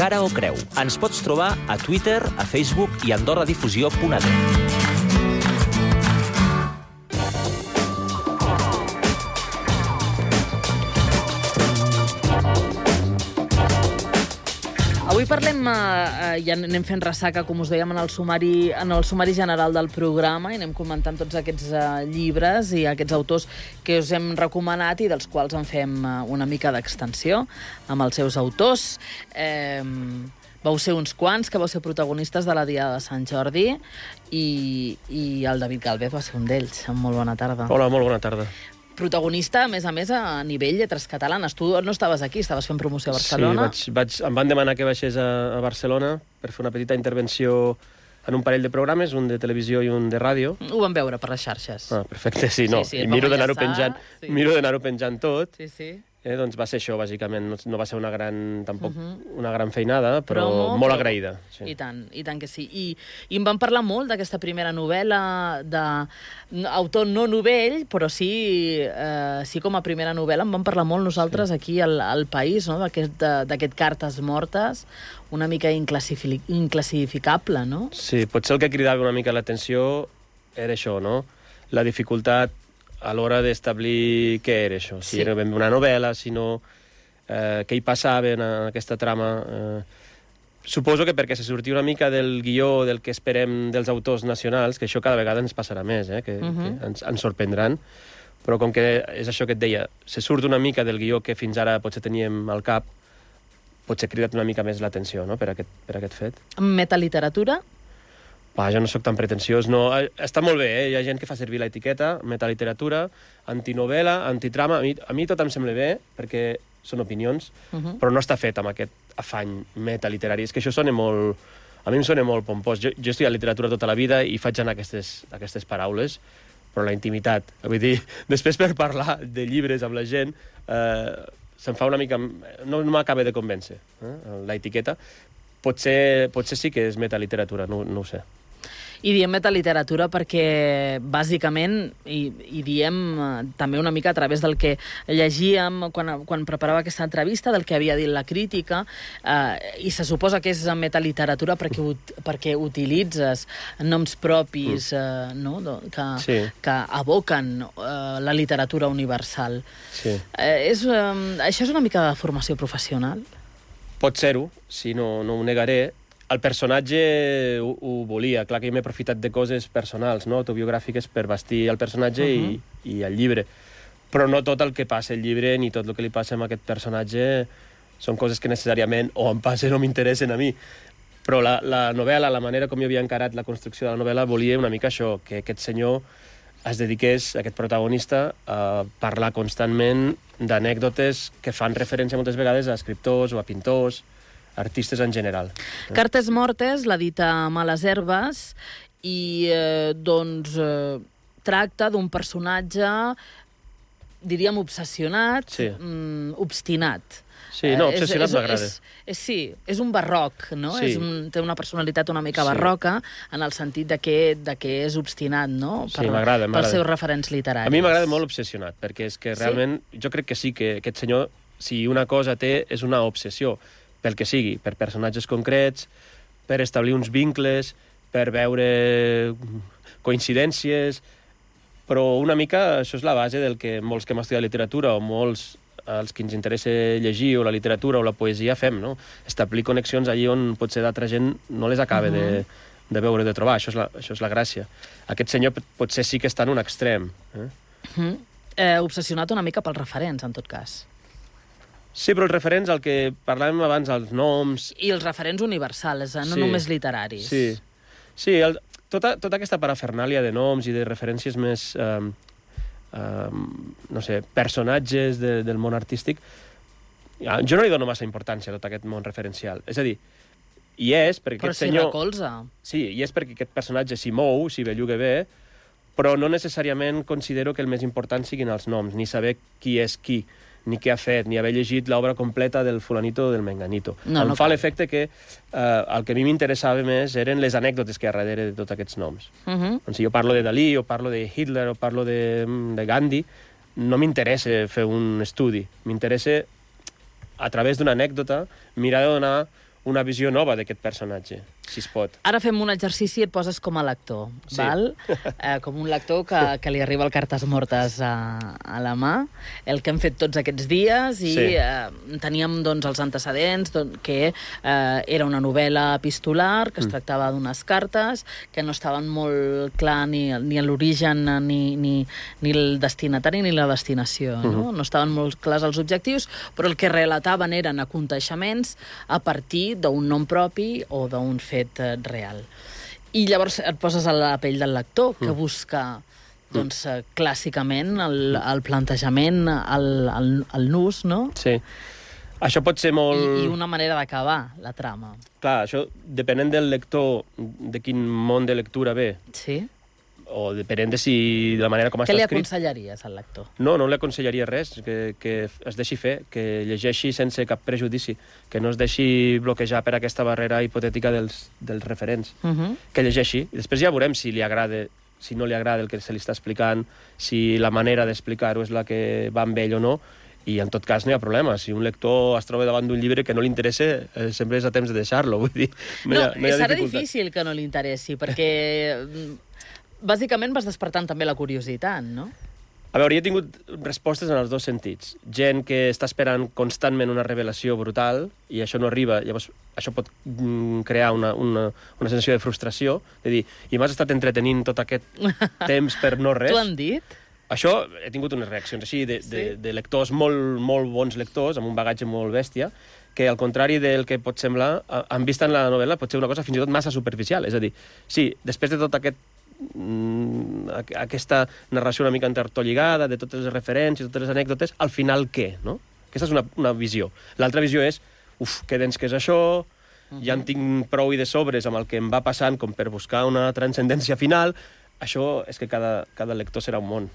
Cara o Creu. Ens pots trobar a Twitter, a Facebook i a AndorraDifusió.net. Avui parlem, ja anem fent ressaca, com us dèiem, en el sumari general del programa, i anem comentant tots aquests llibres i aquests autors que us hem recomanat i dels quals en fem una mica d'extensió amb els seus autors. Vau ser uns quants que vau ser protagonistes de la Diada de Sant Jordi i el David Gálvez va ser un d'ells. Molt bona tarda. Hola, molt bona tarda. Protagonista, a més, a nivell lletres catalanes. Tu no estaves aquí, estaves fent promoció a Barcelona. Sí, em van demanar que baixés a Barcelona per fer una petita intervenció en un parell de programes, un de televisió i un de ràdio. Ho vam veure per les xarxes. Ah, perfecte, sí, no. Sí, I miro d'anar-ho penjant tot. Sí. Doncs va ser això, bàsicament. No va ser una gran feinada, però molt agraïda. Sí. I tant que sí. I em van parlar molt d'aquesta primera novel·la d'autor no novell, però sí com a primera novel·la. Em van parlar molt nosaltres aquí al País, no? d'aquest Cartes mortes, una mica inclassificable, no? Sí, potser el que cridava una mica l'atenció era això, no? La dificultat a l'hora d'establir què era això, si era ben una novel·la, si no, què hi passava en aquesta trama. Suposo que perquè se sortia una mica del guió del que esperem dels autors nacionals, que això cada vegada ens passarà més, que ens sorprendran, però com que és això que et deia, se surt una mica del guió que fins ara potser teníem al cap, potser ha cridat una mica més l'atenció, no?, per aquest fet. Metaliteratura? Jo no sóc tan pretensiós, no. Està molt bé, hi ha gent que fa servir l'etiqueta, metaliteratura, antinovel·la, antitrama. A mi tot em sembla bé, perquè són opinions, però no està fet amb aquest afany metaliterari. És que això sona molt... A mi em sona molt pompós. Jo he estudiat literatura tota la vida i faig anar aquestes paraules, però la intimitat. Vull dir, després per parlar de llibres amb la gent, se'm fa una mica... No m'acaba de convèncer, la etiqueta. Potser sí que és metaliteratura, no ho sé. I diem metaliteratura perquè, bàsicament, i diem també una mica a través del que llegíem quan preparava aquesta entrevista, del que havia dit la crítica, i se suposa que és metaliteratura perquè utilitzes noms propis que evoquen la literatura universal. Sí. Això és una mica de formació professional? Pot ser-ho, si no ho negaré. El personatge ho volia. Clar que jo m'he aprofitat de coses personals, no?, autobiogràfiques, per vestir el personatge i el llibre. Però no tot el que passa al llibre ni tot el que li passa a aquest personatge són coses que necessàriament o em passen o m'interessen a mi. Però la novel·la, la manera com jo havia encarat la construcció de la novel·la, volia una mica això, que aquest senyor es dediqués, aquest protagonista, a parlar constantment d'anècdotes que fan referència moltes vegades a escriptors o a pintors, artistes en general. Cartes mortes, l'ha dit a Males herbes, i tracta d'un personatge, diríem, obsessionat, obstinat. Sí, no, obsessionat m'agrada. Sí, és un barroc, no? Sí. Té una personalitat una mica barroca, en el sentit de que és obstinat, no? Sí, m'agrada. Pels seus referents literaris. A mi m'agrada molt obsessionat, perquè és que realment jo crec que sí, que aquest senyor, si una cosa té, és una obsessió, pel que sigui, per personatges concrets, per establir uns vincles, per veure coincidències, però una mica això és la base del que molts que hem estudiat literatura o molts els que ens interessa llegir o la literatura o la poesia fem, no? Establir connexions allí on potser d'altra gent no les acaba de veure, de trobar. Això és la gràcia. Aquest senyor potser sí que està en un extrem. Obsessionat una mica pels referents, en tot cas. Sí, però els referents, el que parlàvem abans, els noms... I els referents universals, no només literaris. Sí, tota aquesta parafernàlia de noms i de referències més, no sé, personatges del món artístic, jo no li dono massa importància a tot aquest món referencial. És a dir, hi és perquè aquest senyor... Però s'hi recolza. Sí, hi és perquè aquest personatge s'hi mou, s'hi belluga bé, però no necessàriament considero que el més important siguin els noms, ni saber qui és qui, ni què ha fet, ni haver llegit l'obra completa del fulanito o del menganito. Em fa l'efecte que el que a mi m'interessava més eren les anècdotes que hi ha darrere de tots aquests noms. Si jo parlo de Dalí, o parlo de Hitler, o parlo de Gandhi, no m'interessa fer un estudi. M'interessa, a través d'una anècdota, mirar de donar una visió nova d'aquest personatge, si es pot. Ara fem un exercici i et poses com a lector, Sí. val? Com un lector que li arriba el Cartes Mortes a la mà, el que hem fet tots aquests dies, i Sí. teníem doncs, els antecedents, que era una novel·la epistolar, que es tractava d'unes cartes, que no estaven molt clar ni l'origen, ni el destinatari, ni la destinació. No? No estaven molt clars els objectius, però el que relataven eren aconteixements a partir d'un nom propi o d'un fet real. I llavors et poses a la pell del lector, que busca doncs, clàssicament el plantejament, el nus, no? Sí. Això pot ser molt... I una manera d'acabar la trama. Clar, això, depenent del lector, de quin món de lectura ve, Sí? o depenent de si de la manera com Què està li escrit... aconsellaries al lector? No li aconsellaria res, que es deixi fer, que llegeixi sense cap prejudici, que no es deixi bloquejar per aquesta barrera hipotètica dels referents. Que llegeixi, i després ja veurem si li agrada, si no li agrada el que se li està explicant, si la manera d'explicar-ho és la que va amb ell o no, i en tot cas no hi ha problema. Si un lector es troba davant d'un llibre que no li interessa, sempre és a temps de deixar-lo, vull dir, no hi ha serà dificultat. difícil que no li interessi, perquè bàsicament vas despertant també la curiositat, no? A veure, jo he tingut respostes en els dos sentits. Gent que està esperant constantment una revelació brutal i això no arriba, llavors això pot crear una sensació de frustració, de dir, i m'has estat entretenint tot aquest temps per no res. T'ho han dit? Això, he tingut unes reaccions així de lectors, molt bons lectors, amb un bagatge molt bèstia, que al contrari del que pot semblar, han vist en la novel·la pot ser una cosa fins i tot massa superficial. És a dir, sí, després de tot aquesta narració una mica entertolligada, de totes les referències, totes les anècdotes, al final què, no? Aquesta és una visió. L'altra visió és, que dens que és això, ja en tinc prou i de sobres amb el que em va passant com per buscar una transcendència final. Això és que cada lector serà un món.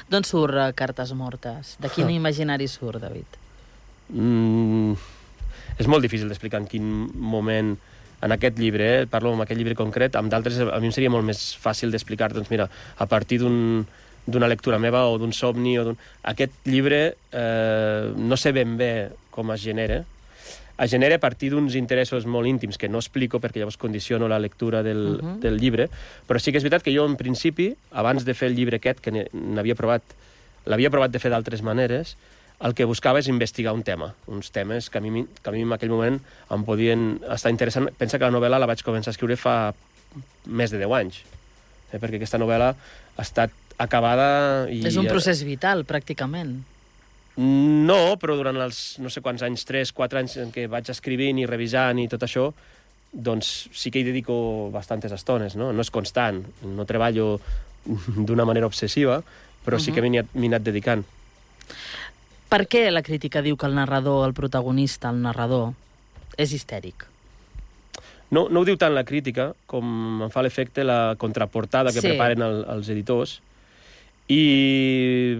D'on surt Cartes Mortes? De quin imaginari surt, David? És molt difícil d'explicar en quin moment, en aquest llibre, parlo amb aquest llibre concret, amb d'altres a mi em seria molt més fàcil d'explicar, doncs mira, a partir d'una lectura meva o d'un somni, aquest llibre no sé ben bé com es genera a partir d'uns interessos molt íntims que no explico perquè llavors condiciono la lectura del llibre, però sí que és veritat que jo en principi, abans de fer el llibre aquest, que l'havia provat de fer d'altres maneres, el que buscava és investigar un tema, uns temes que a mi en aquell moment em podien estar interessant. Pensa que la novel·la la vaig començar a escriure fa més de 10 anys, perquè aquesta novel·la ha estat acabada... És un procés vital, pràcticament. No, però durant els no sé quants anys, 3-4 anys en què vaig escrivint i revisant i tot això, doncs sí que hi dedico bastantes estones, no? No és constant, no treballo d'una manera obsessiva, però sí que m'hi he anat dedicant. Per què la crítica diu que el narrador, el protagonista, el narrador, és histèric? No ho diu tant la crítica com em fa l'efecte la contraportada que preparen els editors. I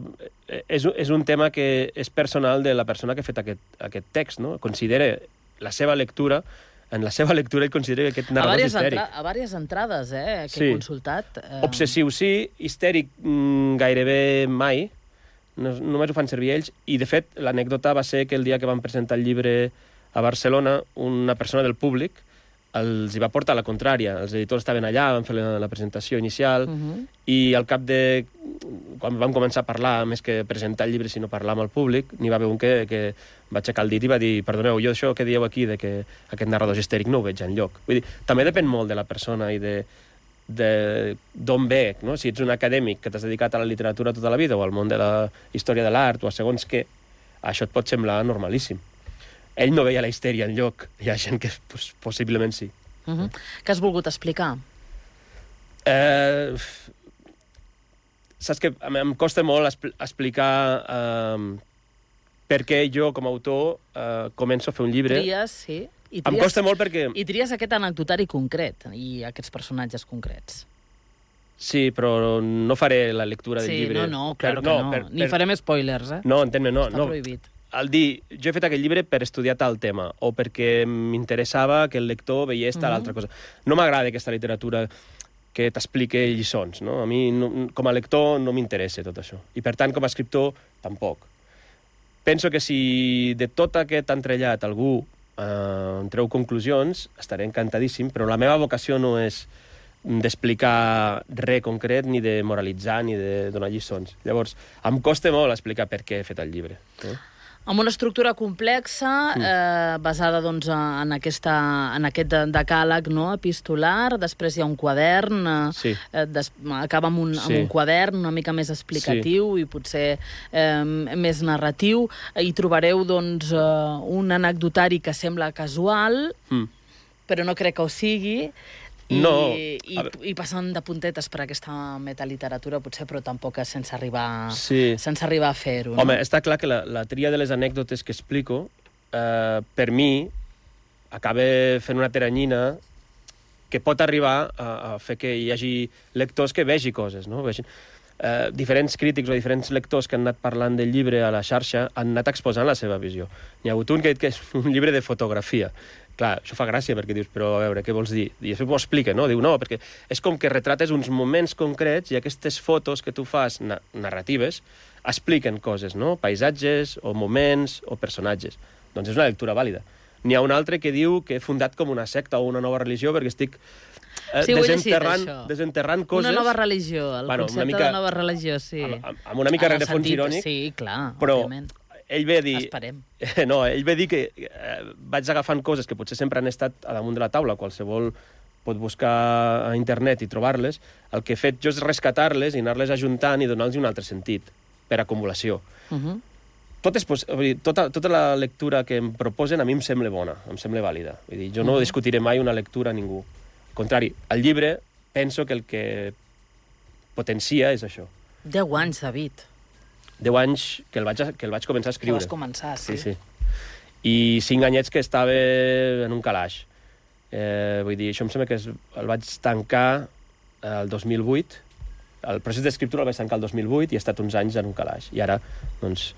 és un tema que és personal de la persona que ha fet aquest text, no? Considera la seva lectura, en la seva lectura ell considera que aquest narrador és histèric. A diverses entrades, que he consultat. Obsessiu sí, histèric gairebé mai, només ho fan servir ells, i de fet l'anècdota va ser que el dia que van presentar el llibre a Barcelona, una persona del públic els hi va portar la contrària. Els editors estaven allà, van fer la presentació inicial, i al cap de... quan vam començar a parlar, més que presentar el llibre, sinó parlar amb el públic, n'hi va haver un que va aixecar el dit i va dir, perdoneu, jo això que dieu aquí, de que aquest narrador és histèric, no ho veig enlloc. Vull dir, també depèn molt de la persona i d'on ve, no? Si ets un acadèmic que t'has dedicat a la literatura tota la vida o al món de la història de l'art o a segons què, això et pot semblar normalíssim. Ell no veia la histèria enlloc. Hi ha gent que possiblement sí. Què has volgut explicar? Saps que em costa molt explicar per què jo, com a autor, començo a fer un llibre. Tries, sí. Em costa molt perquè... I tries aquest anecdotari concret i aquests personatges concrets. Sí, però no faré la lectura del llibre. Sí, no, clar que no. Ni farem spoilers, No, entén-me, no. Està prohibit. Al dir, jo he fet aquest llibre per estudiar tal tema, o perquè m'interessava que el lector veiés tal altra cosa. No m'agrada aquesta literatura que t'explica lliçons, no? A mi, com a lector, no m'interessa tot això. I, per tant, com a escriptor, tampoc. Penso que si de tot aquest entrellat algú en treu conclusions, estaré encantadíssim, però la meva vocació no és d'explicar res concret, ni de moralitzar, ni de donar lliçons. Llavors, em costa molt explicar per què he fet el llibre. Amb una estructura complexa, basada doncs, en aquest decàleg, no, epistolar, després hi ha un quadern, acaba amb un quadern una mica més explicatiu i potser més narratiu. Hi trobareu doncs, un anecdotari que sembla casual, però no crec que ho sigui, i passen de puntetes per aquesta metaliteratura, potser, però tampoc sense arribar a fer-ho. Home, està clar que la tria de les anècdotes que explico, per mi, acaba fent una teranyina que pot arribar a fer que hi hagi lectors que vegi coses, no? Diferents crítics o diferents lectors que han anat parlant del llibre a la xarxa han anat exposant la seva visió. N'hi ha hagut un que ha dit que és un llibre de fotografia. Clar, això fa gràcia perquè dius, però a veure, què vols dir? I això ho explica, no? Diu, no, perquè és com que retrates uns moments concrets i aquestes fotos que tu fas narratives expliquen coses, no? Paisatges, o moments, o personatges. Doncs és una lectura vàlida. N'hi ha un altre que diu que he fundat com una secta o una nova religió perquè estic desenterrant coses... Una nova religió, el concepte de nova religió, sí. Amb una mica rerefons irònic. Sí, clar, però òbviament. Ell ve a dir... Esperem. No, ell ve a dir que vaig agafant coses que potser sempre han estat a damunt de la taula, qualsevol pot buscar a internet i trobar-les. El que he fet jo és rescatar-les i anar-les ajuntant i donar-los un altre sentit, per acumulació. Tota la lectura que em proposen a mi em sembla bona, em sembla vàlida. Vull dir, jo no discutiré mai una lectura a ningú. Al contrari, el llibre penso que el que potencia és això. 10 anys, David. 10 anys que el vaig començar a escriure. Que vas començar, sí. Sí. I 5 anyets que estava en un calaix. Vull dir, això em sembla que el vaig tancar el 2008. El procés d'escriptura el vaig tancar el 2008 i he estat uns anys en un calaix. I ara, doncs,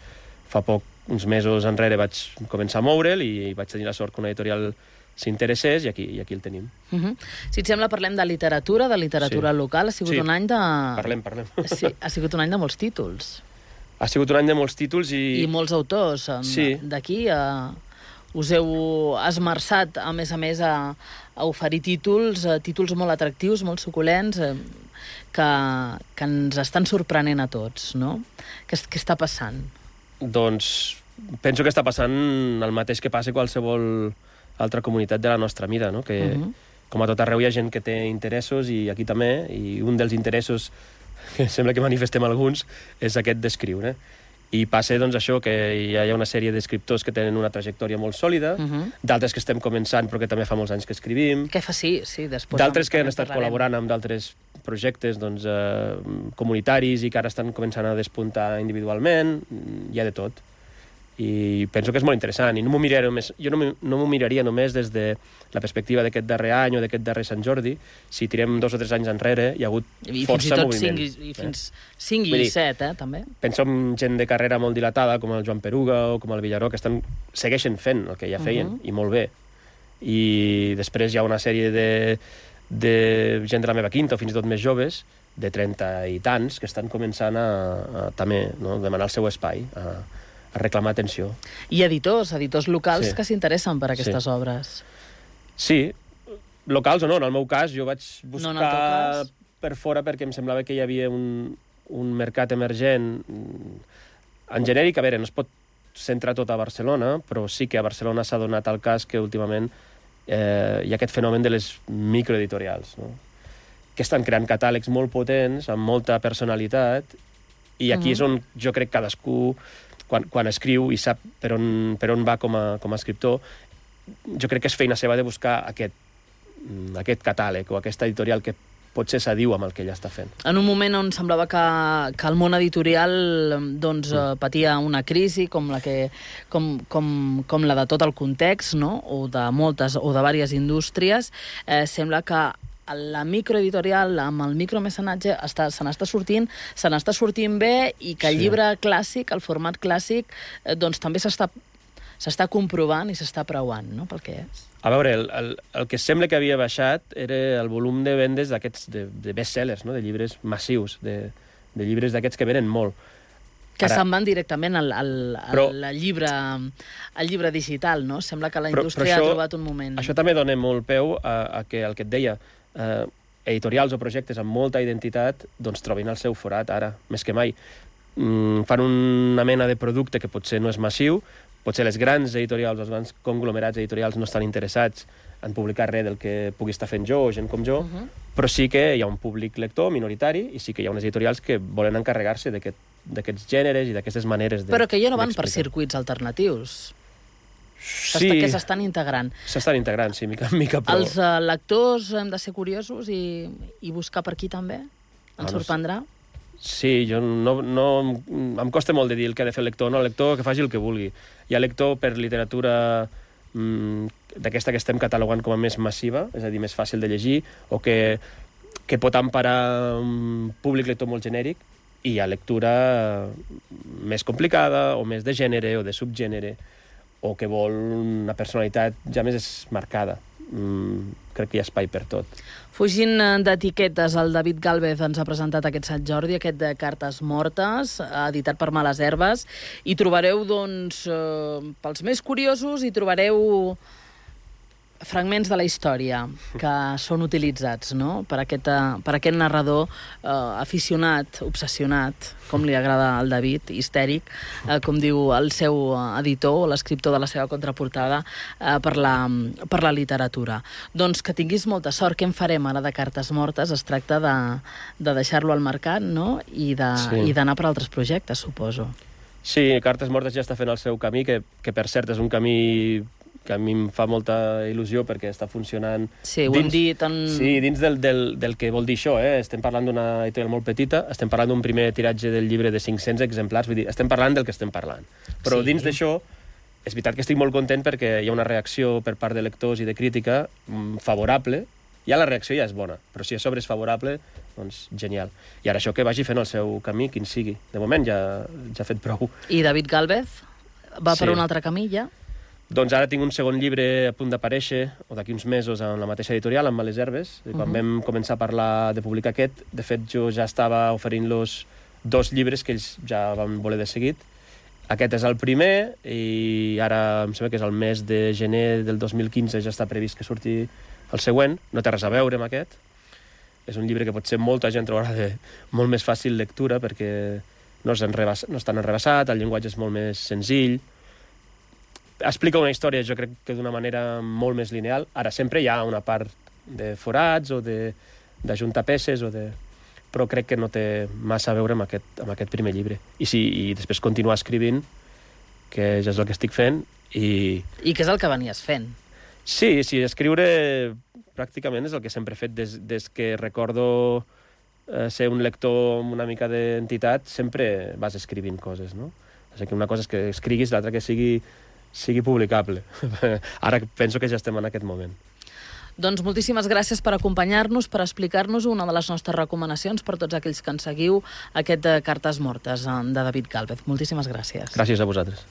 fa poc, uns mesos enrere, vaig començar a moure'l i vaig tenir la sort que una editorial s'interessés i aquí el tenim. Si et sembla, parlem de literatura local. Ha sigut un any de... Parlem. Sí, ha sigut un any de molts títols. Ha sigut un any de molts títols i molts autors. D'aquí us heu esmerçat, a més, a oferir títols molt atractius, molt suculents, que ens estan sorprenent a tots, no? Què està passant? Doncs penso que està passant el mateix que passa a qualsevol altra comunitat de la nostra mida, no? Que, com a tot arreu, hi ha gent que té interessos i aquí també, i un dels interessos que sembla que manifestem alguns, és aquest d'escriure. I passa, doncs, això, que hi ha una sèrie d'escriptors que tenen una trajectòria molt sòlida, d'altres que estem començant però que també fa molts anys que escrivim. Què fa, sí, després... D'altres que han estat col·laborant amb d'altres projectes comunitaris i que ara estan començant a despuntar individualment. Hi ha de tot. I penso que és molt interessant. I no m'ho miraria només, jo no m'ho miraria només des de la perspectiva d'aquest darrer any o d'aquest darrer Sant Jordi. Si tirem 2 o 3 anys enrere, hi ha hagut força moviment. I fins 5 i 7, també. Penso en gent de carrera molt dilatada, com el Joan Peruga o com el Villaró, que segueixen fent el que ja feien, i molt bé. I després hi ha una sèrie de gent de la meva quinta, o fins i tot més joves, de 30 i tants, que estan començant a també demanar el seu espai, a reclamar atenció. I editors locals que s'interessen per aquestes obres. Sí, locals o no. En el meu cas, jo vaig buscar per fora perquè em semblava que hi havia un mercat emergent. En genèric, a veure, no es pot centrar tot a Barcelona, però sí que a Barcelona s'ha donat el cas que últimament hi ha aquest fenomen de les microeditorials, no? Que estan creant catàlegs molt potents, amb molta personalitat, i aquí és on jo crec cadascú quan escriu i sap per on va com a escriptor, jo crec que és feina seva de buscar aquest catàleg o aquesta editorial que potser s'adiu amb el que ella està fent. En un moment on semblava que el món editorial patia una crisi com la de tot el context, no? o de diverses indústries, sembla que la microeditorial amb el micromecenatge se n'està sortint bé i que el llibre clàssic, el format clàssic, doncs també s'està comprovant i s'està preuant, no?, pel que és. A veure, el que sembla que havia baixat era el volum de vendes d'aquests de best-sellers, no?, de llibres massius, de llibres d'aquests que venen molt. Que se'n van directament al llibre digital, no? Sembla que la indústria ha trobat un moment. Això també dona molt peu a que el que et deia, editorials o projectes amb molta identitat doncs trobin el seu forat ara, més que mai. Fan una mena de producte que potser no és massiu, potser les grans editorials, els grans conglomerats editorials no estan interessats en publicar res del que pugui estar fent jo o gent com jo, però sí que hi ha un públic lector minoritari i sí que hi ha unes editorials que volen encarregar-se d'aquests gèneres i d'aquestes maneres Però que ja no van per circuits alternatius. Sí, que s'estan integrant. S'estan integrant, sí, mica en mica, però... Els lectors hem de ser curiosos i buscar per aquí també? Ens sorprendrà? Sí, jo em costa molt de dir el que ha de fer el lector. No, el lector que faci el que vulgui. Hi ha lector per literatura d'aquesta que estem catalogant com a més massiva, és a dir, més fàcil de llegir, o que pot emparar un públic lector molt genèric, i hi ha lectura més complicada, o més de gènere, o de subgènere, o que vol una personalitat ja més marcada. Crec que hi ha espai per tot. Fugint d'etiquetes, el David Gálvez ens ha presentat aquest Sant Jordi, aquest de Cartes mortes, editat per Males Herbes, i trobareu, doncs, pels més curiosos, hi trobareu fragments de la història que són utilitzats, no?, per aquest narrador aficionat, obsessionat, com li agrada al David, histèric, com diu el seu editor o l'escriptor de la seva contraportada, per la literatura. Doncs que tinguis molta sort. Què en farem ara de Cartes mortes? Es tracta de deixar-lo al mercat, no?, i d'anar per altres projectes, suposo. Sí, Cartes mortes ja està fent el seu camí, que per cert és un camí que a mi em fa molta il·lusió perquè està funcionant... Sí, ho hem dit en... Sí, dins del que vol dir això, Estem parlant d'una editorial molt petita, estem parlant d'un primer tiratge del llibre de 500 exemplars, vull dir, estem parlant del que estem parlant. Però dins d'això, és veritat que estic molt content perquè hi ha una reacció per part de lectors i de crítica favorable. Ja la reacció ja és bona, però si a sobre és favorable, doncs genial. I ara això que vagi fent el seu camí, quin sigui. De moment ja ha fet prou. I David Gálvez va per un altre camí, ja? Doncs ara tinc un segon llibre a punt d'aparèixer, o d'aquí uns mesos, en la mateixa editorial, amb Males Herbes. Quan vam començar a parlar de publicar aquest, de fet, jo ja estava oferint-los 2 llibres que ells ja van voler de seguit. Aquest és el primer, i ara em sembla que és el mes de gener del 2015 ja està previst que surti el següent. No té res a veure amb aquest. És un llibre que potser molta gent trobarà de molt més fàcil lectura, perquè no és tan enrebaçat, el llenguatge és molt més senzill, explica una història, jo crec que d'una manera molt més lineal. Ara, sempre hi ha una part de forats o d'ajuntar peces, però crec que no té massa a veure amb aquest primer llibre. I després continuar escrivint, que ja és el que estic fent. I què és el que venies fent? Sí, escriure pràcticament és el que sempre he fet des que recordo ser un lector amb una mica d'entitat, sempre vas escrivint coses, no? O sigui, una cosa és que escriguis, l'altra que sigui publicable. Ara penso que ja estem en aquest moment. Doncs moltíssimes gràcies per acompanyar-nos, per explicar-nos una de les nostres recomanacions per tots aquells que ens seguiu, aquest de Cartes mortes, de David Gálvez. Moltíssimes gràcies. Gràcies a vosaltres.